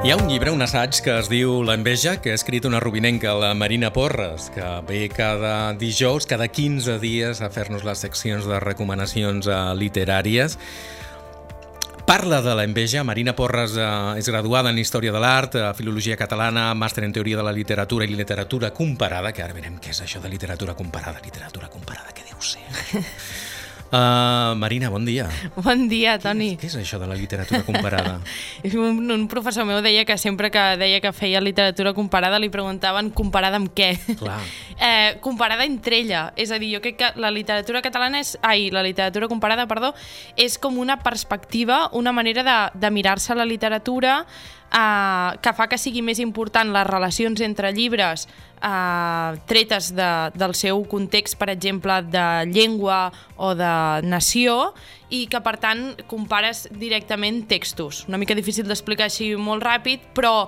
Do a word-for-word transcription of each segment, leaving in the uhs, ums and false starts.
Hi ha un llibre, un assaig, que es diu L'enveja, que ha escrit una rubinenca, la Marina Porres, que ve cada dijous, cada quinze dies, a fer-nos les seccions de recomanacions eh, literàries. Parla de l'enveja. Marina Porres eh, és graduada en Història de l'Art, a Filologia Catalana, màster en Teoria de la Literatura i Literatura Comparada, que ara veurem què és això de literatura comparada. Literatura comparada, què deu ser? Uh, Marina, bon dia. Bon dia, Toni. Què és, què és això de la literatura comparada? un, un professor meu deia que sempre que deia que feia literatura comparada li preguntaven comparada amb què? Clar. Eh, comparada entre ella. És a dir, jo crec que la literatura catalana és... Ai, la literatura comparada, perdó, és com una perspectiva, una manera de, de mirar-se la literatura eh, que fa que sigui més important les relacions entre llibres Uh, tretes de, del seu context, per exemple, de llengua o de nació, i que, per tant, compares directament textos. Una mica difícil d'explicar així molt ràpid, però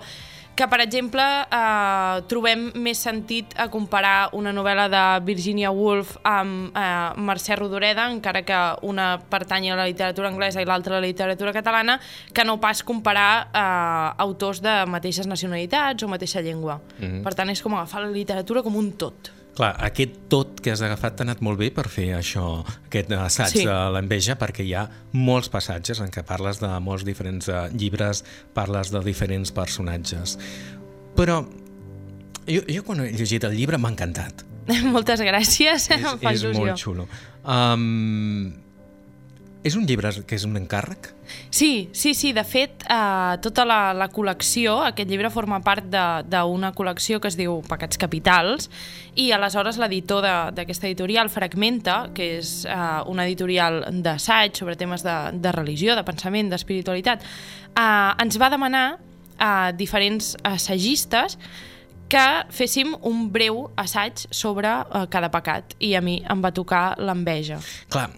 que, per exemple, eh, trobem més sentit a comparar una novel·la de Virginia Woolf amb eh, Mercè Rodoreda, encara que una pertany a la literatura anglesa i l'altra a la literatura catalana, que no pas comparar eh, autors de mateixes nacionalitats o mateixa llengua. Mm-hmm. Per tant, és com agafar la literatura com un tot. Clar, aquest tot que has agafat t'ha anat molt bé per fer això, aquest assaig sí. de l'enveja, perquè hi ha molts passatges en què parles de molts diferents uh, llibres, parles de diferents personatges. Però jo, jo quan he llegit el llibre m'ha encantat. Moltes gràcies, és, em fa és il·lusió. molt xulo. Um, és un llibre que és un encàrrec? Sí, sí, sí. De fet, eh, tota la, la col·lecció, aquest llibre forma part d'una col·lecció que es diu Pecats Capitals, i aleshores l'editor d'aquesta editorial, Fragmenta, que és eh, una editorial d'assaig sobre temes de, de religió, de pensament, d'espiritualitat, eh, ens va demanar a diferents assagistes que féssim un breu assaig sobre eh, cada pecat, i a mi em va tocar l'enveja. Clar,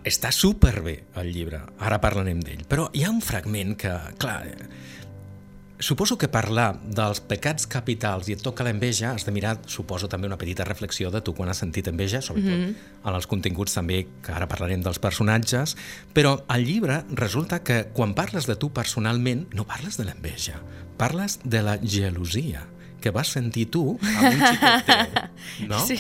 està superbé el llibre, ara parlarem d'ell, però hi ha un fragment que, clar, suposo que parlar dels pecats capitals i et toca l'enveja, has de mirar, suposo, també una petita reflexió de tu quan has sentit enveja, sobretot mm-hmm. en els continguts també, que ara parlarem dels personatges, però al llibre resulta que quan parles de tu personalment, no parles de l'enveja, parles de la gelosia que vas sentir tu amb un xicot teu, no? Sí.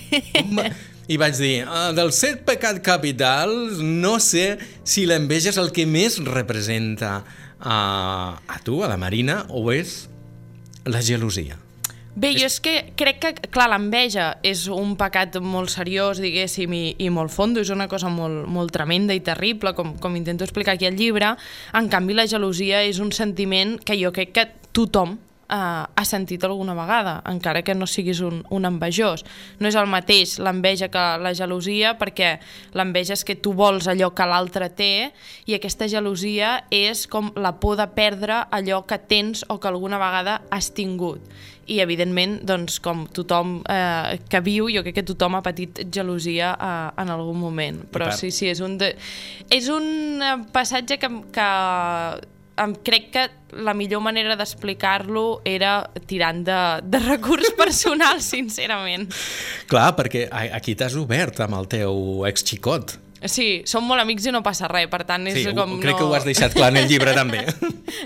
I vaig dir, uh, dels set pecats capitals, no sé si l'enveja és el que més representa uh, a tu, a la Marina, o és la gelosia. Bé, jo és que crec que, clar, l'enveja és un pecat molt seriós, diguéssim, i, i molt fondo, és una cosa molt, molt tremenda i terrible, com, com intento explicar aquí al llibre. En canvi, la gelosia és un sentiment que jo crec que tothom Uh, ha sentit alguna vegada, encara que no siguis un, un envejós. No és el mateix l'enveja que la gelosia, perquè l'enveja és que tu vols allò que l'altre té, i aquesta gelosia és com la por de perdre allò que tens o que alguna vegada has tingut. I, evidentment, doncs, com tothom eh, que viu, jo crec que tothom ha patit gelosia eh, en algun moment. Però sí, sí, és un, de... és un passatge que... que em crec que la millor manera d'explicar-lo era tirant de, de recurs personal, sincerament. Clar, perquè aquí t'has obert amb el teu exxicot. Sí, som molt amics i no passa res, per tant és sí, com... crec no... que ho has deixat clar en el llibre també.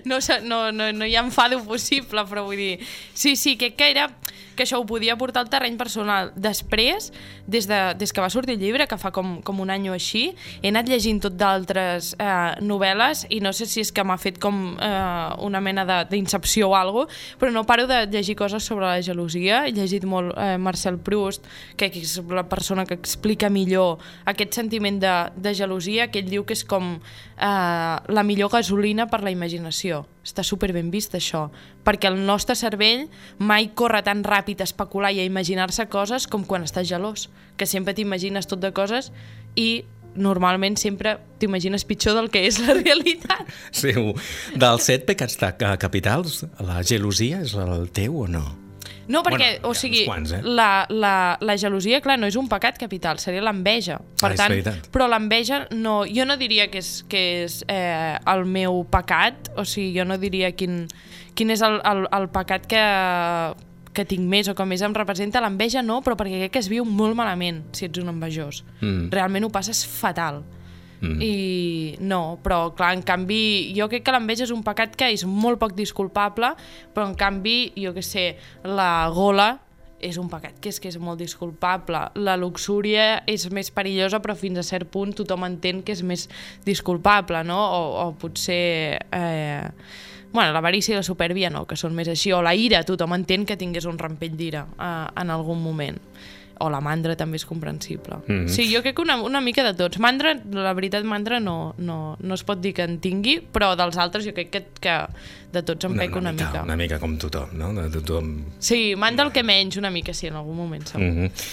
no, no, no, no hi ha enfado possible, però vull dir... Sí, sí, crec que era... que això ho podia portar al terreny personal. Després, des, de, des que va sortir el llibre, que fa com, com un any o així, he anat llegint tot d'altres eh, novel·les, i no sé si és que m'ha fet com eh, una mena d'incepció o alguna cosa, però no paro de llegir coses sobre la gelosia. He llegit molt eh, Marcel Proust, que és la persona que explica millor aquest sentiment de, de gelosia, que ell diu que és com eh, la millor gasolina per la imaginació. Està super ben vist, això, perquè el nostre cervell mai corre tan ràpid a especular i a imaginar-se coses com quan estàs gelós, que sempre t'imagines tot de coses i normalment sempre t'imagines pitjor del que és la realitat. Sí, dels set pecats capitals, la gelosia és el teu o no? No, perquè, bueno, o sigui, quants, eh? la, la, la gelosia, clar, no és un pecat capital, seria l'enveja. Per ah, tant, però l'enveja, no, jo no diria que és, que és eh, el meu pecat, o sigui, jo no diria quin, quin és el, el, el pecat que, que tinc més o que més em representa. L'enveja no, però perquè crec que es viu molt malament si ets un envejós. Mm. Realment ho passes fatal. Mm. I no, però clar, en canvi, jo crec que l'enveja és un pecat que és molt poc disculpable, però en canvi, jo què sé, la gola és un pecat que és que és molt disculpable. La luxúria és més perillosa, però fins a cert punt tothom entén que és més disculpable, no? O, o potser... Eh... Bueno, l'avarícia i la supèrbia no, que són més així. O la ira, tothom entén que tingués un rampell d'ira eh, en algun moment. O la mandra també és comprensible. Mm-hmm. Sí, jo crec que una, una mica de tots. Mandra, la veritat, mandra no, no, no es pot dir que en tingui, però dels altres jo crec que, que de tots em pec una, una mica. Una mica com tothom, no? De tothom... Sí, mandra el que menys una mica, sí, en algun moment segur. Mm-hmm.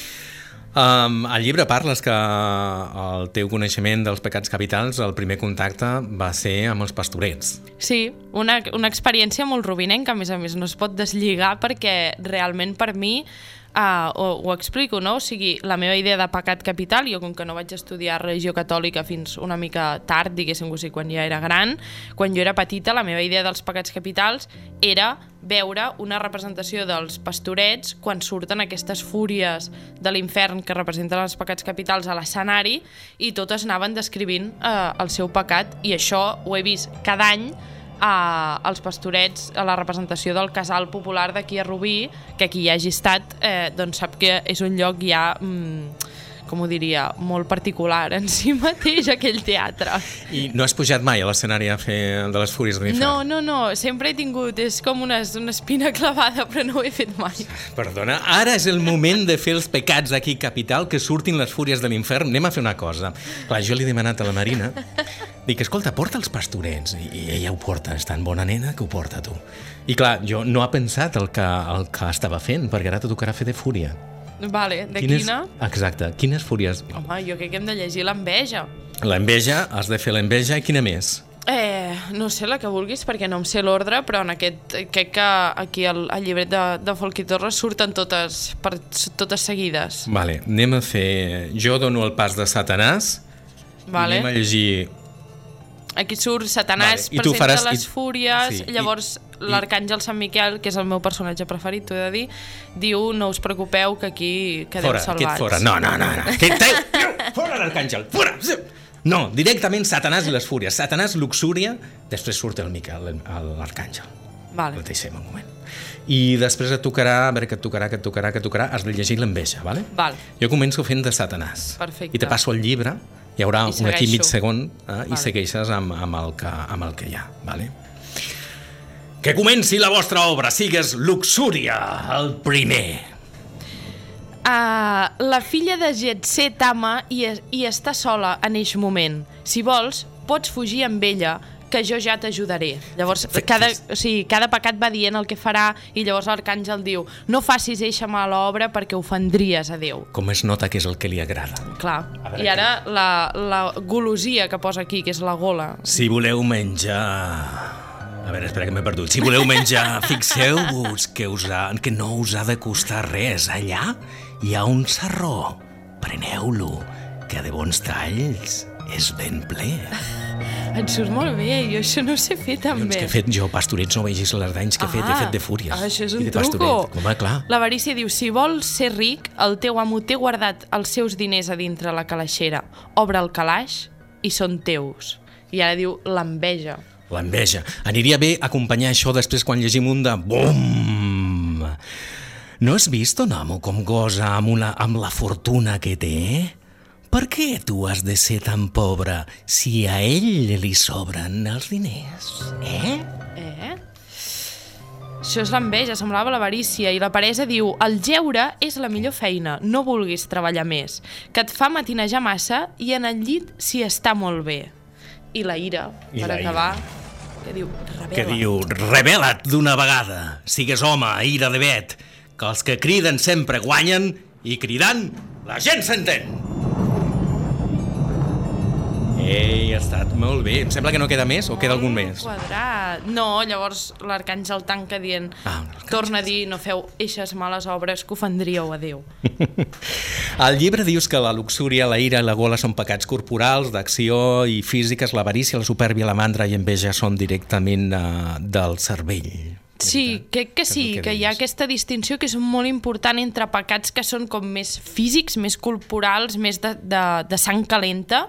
Um, al llibre parles que el teu coneixement dels pecats capitals, el primer contacte va ser amb els pastorets. Sí, una, una experiència molt rovinenca, a més a més, no es pot deslligar perquè realment per mi Uh, ho, ho explico, no? O sigui, la meva idea de pecat capital, jo com que no vaig estudiar religió catòlica fins una mica tard, diguéssim, o sigui, quan ja era gran, quan jo era petita, la meva idea dels pecats capitals era veure una representació dels pastorets quan surten aquestes fúries de l'infern que representen els pecats capitals a l'escenari i totes anaven descrivint uh, el seu pecat, i això ho he vist cada any a, als pastorets, a la representació del casal popular d'aquí a Rubí, que qui hi hagi estat eh, doncs sap que és un lloc ja, mm, com ho diria, molt particular en si mateix, aquell teatre. I no has pujat mai a l'escenari a fer de les Fúries de l'Infern? No, no, no, sempre he tingut, és com una, una espina clavada, però no ho he fet mai. Perdona, ara és el moment de fer els pecats aquí capital, que surtin les Fúries de l'Infern. Anem a fer una cosa. Clar, jo li he demanat a la Marina, dic, escolta, porta els pastorets, i ella ho porta, és tan bona nena que ho porta tu. I clar, jo no ha pensat el que, el que estava fent, perquè ara te tocarà fer de fúria. Vale, de quines, quina? Exacte, quines fúries? Home, jo crec que hem de llegir l'enveja. L'enveja, has de fer l'enveja, i quina més? Eh, no sé, la que vulguis, perquè no em sé l'ordre, però en aquest, crec que aquí al, al llibret de, de Folch i Torres surten totes, per, totes seguides. Vale, anem a fer... Jo dono el pas de Satanàs, vale. I anem a llegir... Aquí surt Satanàs, vale. Presenta faràs... les fúries, sí. Llavors i... l'arcàngel Sant Miquel, que és el meu personatge preferit, t'ho he de dir, diu, no us preocupeu, que aquí quedeu fora, salvats. Fora, no, no, no, no. Que, fora l'arcàngel, fora! No, directament Satanàs i les fúries. Satanàs, luxúria, després surt el Miquel, l'arcàngel. Vale. El deixem un moment. I després et tocarà, a veure, que et tocarà, que et tocarà, que et tocarà, has de llegir l'enveja, vale? Val. Jo començo fent de Satanàs. Perfecte. I te passo el llibre, hi haurà un aquí mig segon, eh, vale. I segueixes amb, amb, el que, amb el que hi ha, vale? Que comenci la vostra obra, sigues luxúria, el primer. Uh, la filla de Getsé t'ama i, i està sola en eixe moment. Si vols, pots fugir amb ella, que jo ja t'ajudaré. Llavors, cada, o sigui, cada pecat va dient el que farà, i llavors l'arcàngel diu, no facis eixa mala obra perquè ofendries a Déu. Com es nota que és el que li agrada. Clar. I ara que... la, la golosia que posa aquí, que és la gola. Si voleu menjar... A veure, espera que m'he perdut. Si voleu menjar, fixeu-vos que, us ha, que no us ha de costar res. Allà hi ha un sarró. Preneu-lo, que de bons talls és ben ple. En surt molt bé, jo això no ho sé fer tan bé. Que he fet jo, pastorets, no vegis les danys que he fet, ah, he fet de fúries. Ah, això és un truco. Home, clar. L'avarícia diu, si vols ser ric, el teu amo té guardat els seus diners a dintre la calaixera. Obre el calaix i són teus. I ara diu l'enveja. L'enveja. Aniria bé acompanyar això després quan llegim un de BOOM! No has vist un amo com gosa amb, una, amb la fortuna que té? Per què tu has de ser tan pobre si a ell li sobren els diners? Eh? Eh? Això és l'enveja, semblava l'avarícia, i la peresa diu, el jeure és la millor feina, no vulguis treballar més, que et fa matinejar massa i en el llit s'hi està molt bé. I la ira, I per la acabar, ira. que diu, rebel·la. Que diu, rebel·la't d'una vegada, sigues home, ira de vet, que els que criden sempre guanyen i cridant la gent s'entén. Ei, ha estat molt bé. Em sembla que no queda més, o queda algun més? Quadrat. No, llavors l'arcàngel tanca dient, ah, torna a dir, no feu eixes males obres que ofendríeu a Déu. Al llibre dius que la luxúria, la ira i la gola són pecats corporals, d'acció i físiques, l'avarícia, la supèrbia, la mandra i enveja són directament uh, del cervell. Sí, crec que sí, que, que hi ha aquesta distinció que és molt important entre pecats que són com més físics, més corporals, més de, de, de sang calenta,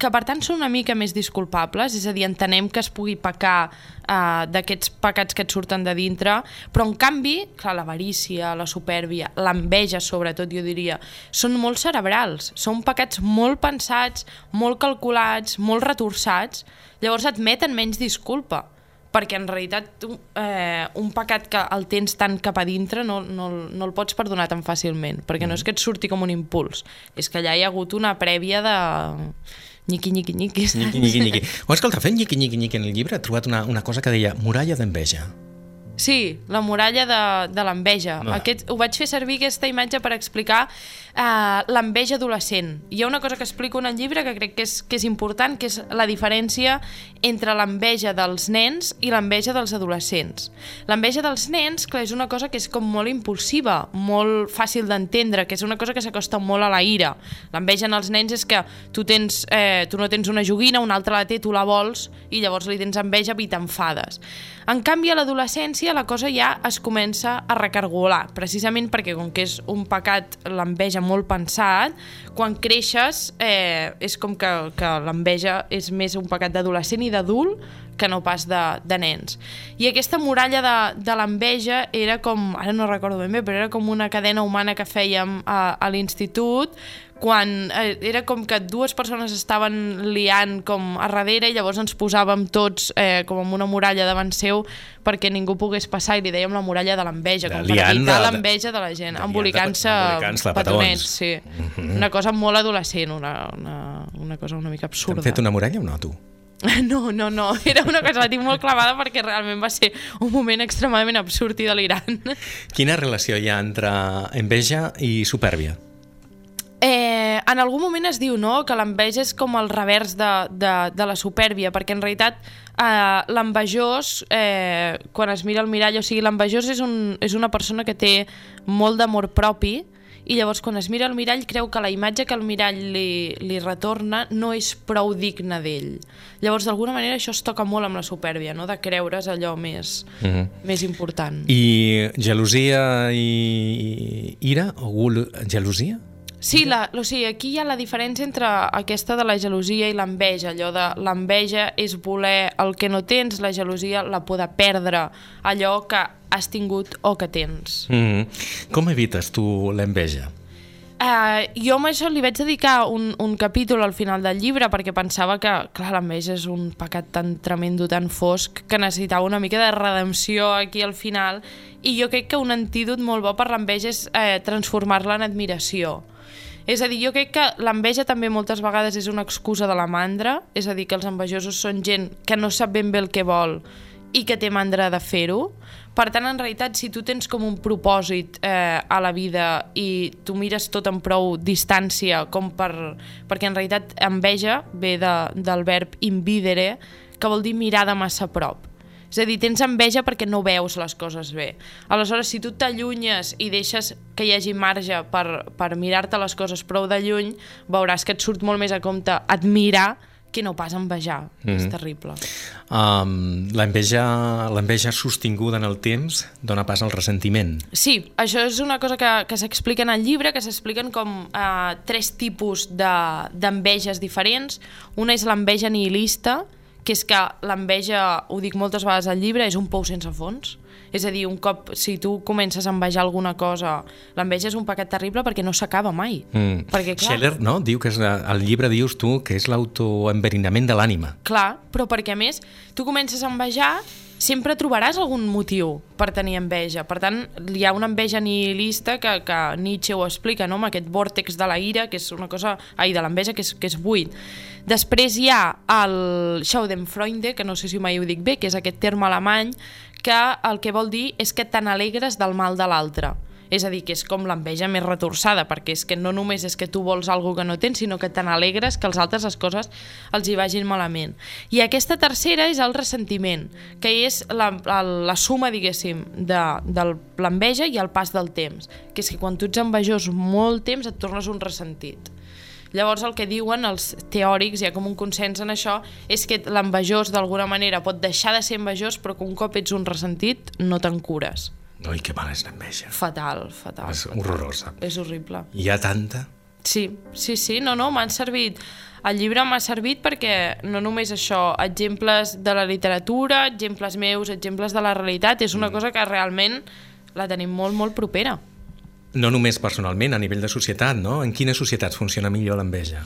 que per tant són una mica més disculpables, és a dir, entenem que es pugui pecar uh, d'aquests pecats que et surten de dintre, però en canvi, clar, l'avarícia, la supèrbia, l'enveja sobretot, jo diria, són molt cerebrals, són pecats molt pensats, molt calculats, molt retorçats, llavors admeten menys disculpa, perquè en realitat eh, un pecat que el tens tan cap a dintre no, no, no el pots perdonar tan fàcilment, perquè no és que et surti com un impuls, és que allà hi ha hagut una prèvia de nyiqui, nyiqui, nyiqui. Nyiqui, nyiqui, nyiqui. O escolta, fent nyiqui, nyiqui, nyiqui en el llibre he trobat una, una cosa que deia muralla d'enveja. Sí, la muralla de, de l'enveja. No. Aquest, ho vaig fer servir aquesta imatge per explicar eh, l'enveja adolescent. Hi ha una cosa que explico en el llibre que crec que és, que és important, que és la diferència entre l'enveja dels nens i l'enveja dels adolescents. L'enveja dels nens, clar, és una cosa que és com molt impulsiva, molt fàcil d'entendre, que és una cosa que s'acosta molt a la ira. L'enveja en els nens és que tu, tens, eh, tu no tens una joguina, un altre la té, tu la vols, i llavors li tens enveja i t'enfades. En canvi, a l'adolescència la cosa ja es comença a recargolar, precisament perquè com que és un pecat, l'enveja molt pensat, quan creixes eh, és com que, que l'enveja és més un pecat d'adolescent i d'adult que no pas de, de nens. I aquesta muralla de, de l'enveja era com, ara no recordo ben bé, però era com una cadena humana que fèiem a, a l'institut, quan eh, era com que dues persones estaven liant com a darrere i llavors ens posàvem tots eh, com amb una muralla davant seu perquè ningú pogués passar i li dèiem la muralla de l'enveja, com per evitar l'enveja de la gent, embolicant-se petonets, sí. Mm-hmm. Una cosa molt adolescent, una, una, una cosa una mica absurda. T'han fet una muralla o no, tu? No, no, no, era una cosa que la tinc molt clavada perquè realment va ser un moment extremadament absurd i delirant. Quina relació hi ha entre enveja i supèrbia? Eh, en algun moment es diu no, que l'enveja és com el revers de, de, de la supèrbia, perquè en realitat eh, l'envejós, eh, quan es mira al mirall, o sigui, l'envejós és, un, és una persona que té molt d'amor propi i llavors quan es mira al mirall creu que la imatge que el mirall li, li retorna no és prou digna d'ell. Llavors, d'alguna manera, això es toca molt amb la supèrbia, no? De creure's allò més, mm-hmm. més important. I gelosia i ira? O gelosia? Sí, la, o sigui, aquí hi ha la diferència entre aquesta de la gelosia i l'enveja, allò de l'enveja és voler el que no tens, la gelosia la por de perdre allò que has tingut o que tens. Mm-hmm. Com evites tu l'enveja? Uh, jo amb això li vaig dedicar un, un capítol al final del llibre perquè pensava que, clar, l'enveja és un pecat tan tremendo, tan fosc, que necessitava una mica de redempció aquí al final, i jo crec que un antídot molt bo per l'enveja és eh, transformar-la en admiració. És a dir, jo crec que l'enveja també moltes vegades és una excusa de la mandra, és a dir, que els envejosos són gent que no sap ben bé el que vol i que té mandra de fer-ho. Per tant, en realitat, si tu tens com un propòsit eh, a la vida i tu mires tot amb prou distància, com per, perquè en realitat enveja ve de, del verb invidere, que vol dir mirar de massa a prop. És a dir, tens enveja perquè no veus les coses bé. Aleshores, si tu t'allunyes i deixes que hi hagi marge per, per mirar-te les coses prou de lluny, veuràs que et surt molt més a compte admirar que no pas envejar. Mm-hmm. És terrible. Um, l'enveja, l'enveja sostinguda en el temps dona pas al ressentiment. Sí, això és una cosa que, que s'explica en el llibre, que s'expliquen com uh, tres tipus de, d'enveges diferents. Una és l'enveja nihilista, que és que l'enveja, ho dic moltes vegades al llibre, és un pou sense fons. És a dir, un cop, si tu comences a envejar alguna cosa, l'enveja és un pecat terrible perquè no s'acaba mai. Mm. Perquè, clar, Scheller, no? Diu que és, al llibre dius tu que és l'autoenverinament de l'ànima. Clar, però perquè a més, tu comences a envejar, sempre trobaràs algun motiu per tenir enveja. Per tant, hi ha una enveja nihilista que, que Nietzsche ho explica, no? Amb aquest vòrtex de la ira, que és una cosa... Ai, de l'enveja, que és, que és buit. Després hi ha el Schadenfreude, que no sé si mai ho dic bé, que és aquest terme alemany, que el que vol dir és que te n'alegres del mal de l'altre. És a dir, que és com l'enveja més retorçada, perquè és que no només és que tu vols alguna que no tens, sinó que te n'alegres que als altres les coses els hi vagin malament. I aquesta tercera és el ressentiment, que és la, la, la suma, diguéssim, de, de l'enveja i el pas del temps, que és que quan tu ets envejós molt temps et tornes un ressentit. Llavors el que diuen els teòrics, hi ha com un consens en això, és que l'envejós d'alguna manera pot deixar de ser envejós, però que un cop ets un ressentit no te'n cures. Ui, que mala és l'enveja. Fatal, fatal. És fatal. horrorosa. És horrible. Hi ha tanta... Sí, sí, sí, no, no, m'han servit. El llibre m'ha servit perquè no només això, exemples de la literatura, exemples meus, exemples de la realitat, és una cosa que realment la tenim molt, molt propera. No només personalment, a nivell de societat, no? En quines societats funciona millor l'enveja?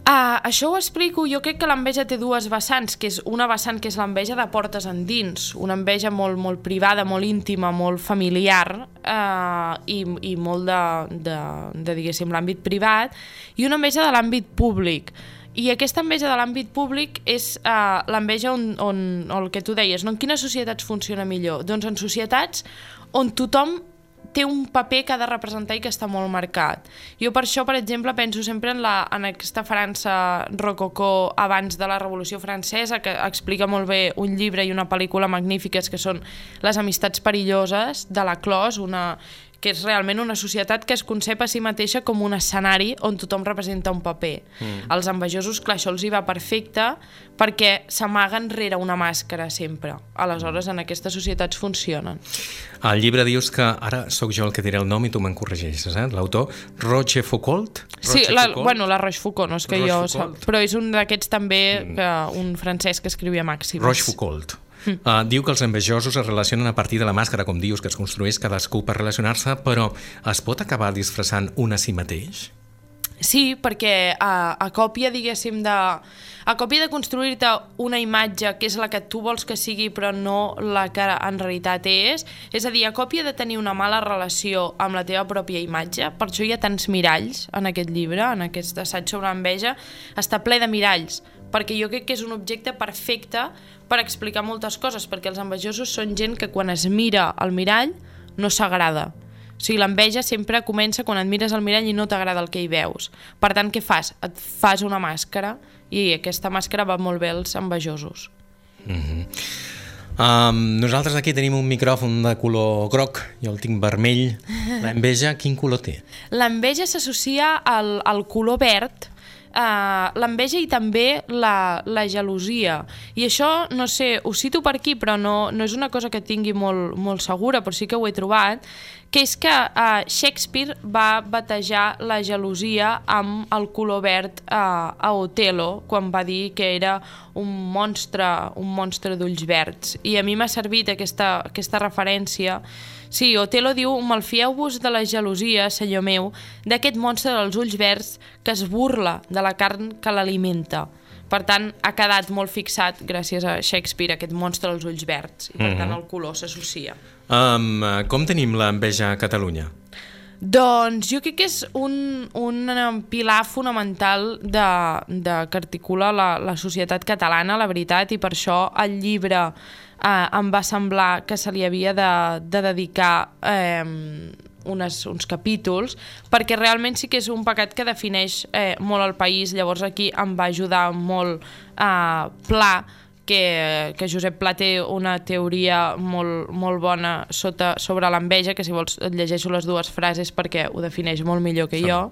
Uh, això ho explico, jo crec que l'enveja té dues vessants, que és una vessant que és l'enveja de portes endins, una enveja molt, molt privada, molt íntima, molt familiar uh, i, i molt de, de, de diguéssim, l'àmbit privat, i una enveja de l'àmbit públic. I aquesta enveja de l'àmbit públic és uh, l'enveja on, on, on el que tu deies, no? En quines societats funciona millor? Doncs en societats on tothom té un paper que ha de representar i que està molt marcat. Jo per això, per exemple, penso sempre en, la, en aquesta França rococó abans de la Revolució Francesa, que explica molt bé un llibre i una pel·lícula magnífiques que són Les amistats perilloses, de la Clos, una que és realment una societat que es concep a si mateixa com un escenari on tothom representa un paper. Mm. Els envejosos, clar, això els hi va perfecte perquè s'amaguen rere una màscara sempre. Aleshores, en aquestes societats funcionen. Al llibre dius que, ara sóc jo el que diré el nom i tu me'n corregeixes, eh? L'autor, Rochefoucauld? Sí, la, bueno, la Rochefoucauld, no és que jo sap, però és un d'aquests també, mm. que, un francès que escrivia màximes. Rochefoucauld. Uh, diu que els envejosos es relacionen a partir de la màscara, com dius, que es construeix cadascú per relacionar-se, però es pot acabar disfressant un a si mateix? Sí, perquè a, a còpia, diguéssim, de... a còpia de construir-te una imatge que és la que tu vols que sigui però no la que en realitat és, és a dir, a còpia de tenir una mala relació amb la teva pròpia imatge, per això hi ha tants miralls en aquest llibre, en aquest assaig sobre l'enveja, està ple de miralls, perquè jo crec que és un objecte perfecte per explicar moltes coses, perquè els envejosos són gent que quan es mira al mirall no s'agrada. O sigui, l'enveja sempre comença quan et mires al mirall i no t'agrada el que hi veus. Per tant, què fas? Et fas una màscara i aquesta màscara va molt bé als envejosos. Mm-hmm. um, nosaltres aquí tenim un micròfon de color groc, jo el tinc vermell. L'enveja, quin color té? L'enveja s'associa al, al color verd, Uh, l'enveja i també la, la gelosia, i això, no sé, ho cito per aquí però no, no és una cosa que tingui molt, molt segura, però sí que ho he trobat, que és que uh, Shakespeare va batejar la gelosia amb el color verd uh, a Otelo, quan va dir que era un monstre, un monstre d'ulls verds, i a mi m'ha servit aquesta, aquesta referència. Sí, Otelo diu: malfieu-vos de la gelosia, senyor meu, d'aquest monstre dels ulls verds que es burla de la carn que l'alimenta. Per tant, ha quedat molt fixat, gràcies a Shakespeare, aquest monstre dels ulls verds, i per mm-hmm. tant el color s'associa. Um, com tenim l'enveja a Catalunya? Doncs jo crec que és un, un pilar fonamental de, de que articula la, la societat catalana, la veritat, i per això el llibre eh, em va semblar que se li havia de, de dedicar eh, unes, uns capítols, perquè realment sí que és un pecat que defineix eh, molt el país. Llavors aquí em va ajudar molt eh, Pla, que, que Josep Pla té una teoria molt, molt bona sota, sobre l'enveja, que si vols et llegeixo les dues frases perquè ho defineix molt millor que jo,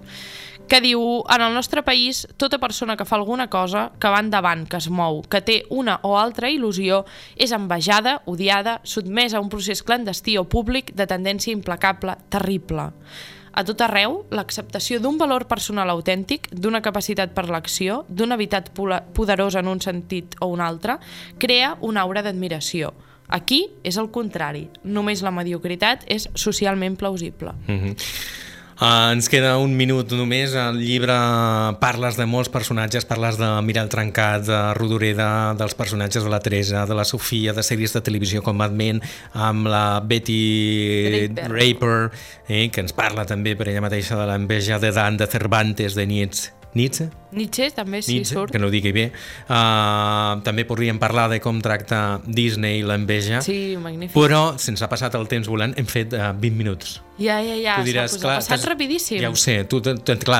que diu: en el nostre país, tota persona que fa alguna cosa, que va endavant, que es mou, que té una o altra il·lusió, és envejada, odiada, sotmesa a un procés clandestí o públic de tendència implacable, terrible. A tot arreu, l'acceptació d'un valor personal autèntic, d'una capacitat per l'acció, d'una veritat poderosa en un sentit o un altre, crea una aura d'admiració. Aquí és el contrari. Només la mediocritat és socialment plausible. Mm-hmm. Uh, ens queda un minut només. Al llibre parles de molts personatges, parles de Mirall Trencat, de Rodoreda, dels personatges de la Teresa, de la Sofia, de sèries de televisió com Mad Men, amb la Betty Draper, Draper eh, que ens parla també per ella mateixa de l'enveja de Dan, de Cervantes, de Nietzsche. Nietzsche? Nietzsche també, sí, Nietzsche, surt. que no ho digui bé. Uh, també podríem parlar de com tracta Disney l'enveja. Sí, magnífic. Però, sense passat el temps volant, hem fet uh, vint minuts. Ja, ja, ja, tu diràs, s'ha passat rapidíssim. Ja ho sé, tu, tu, tu clar,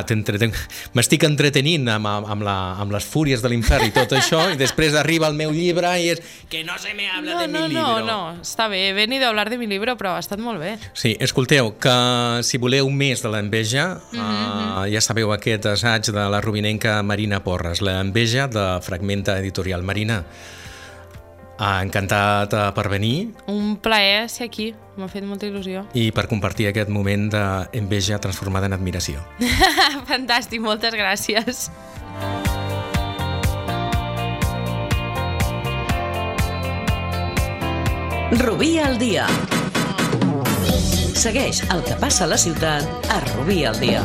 m'estic entretenint amb, amb, la, amb les fúries de l'infern i tot això, i després arriba el meu llibre i és que no se me habla no, de no, mi no, libro. No, no, està bé, he venido a hablar de mi libro, però ha estat molt bé. Sí, escolteu, que si voleu més de l'enveja, mm-hmm. uh, ja sabeu aquest assaig de la rubinenca Marina Porres, l'enveja de Fragmenta Editorial. Marina, Encantat per venir. Un plaer ser aquí, m'ha fet molta il·lusió. I per compartir aquest moment d'enveja transformada en admiració. Fantàstic, moltes gràcies. Rubí al dia. Segueix el que passa a la ciutat a Rubí al dia.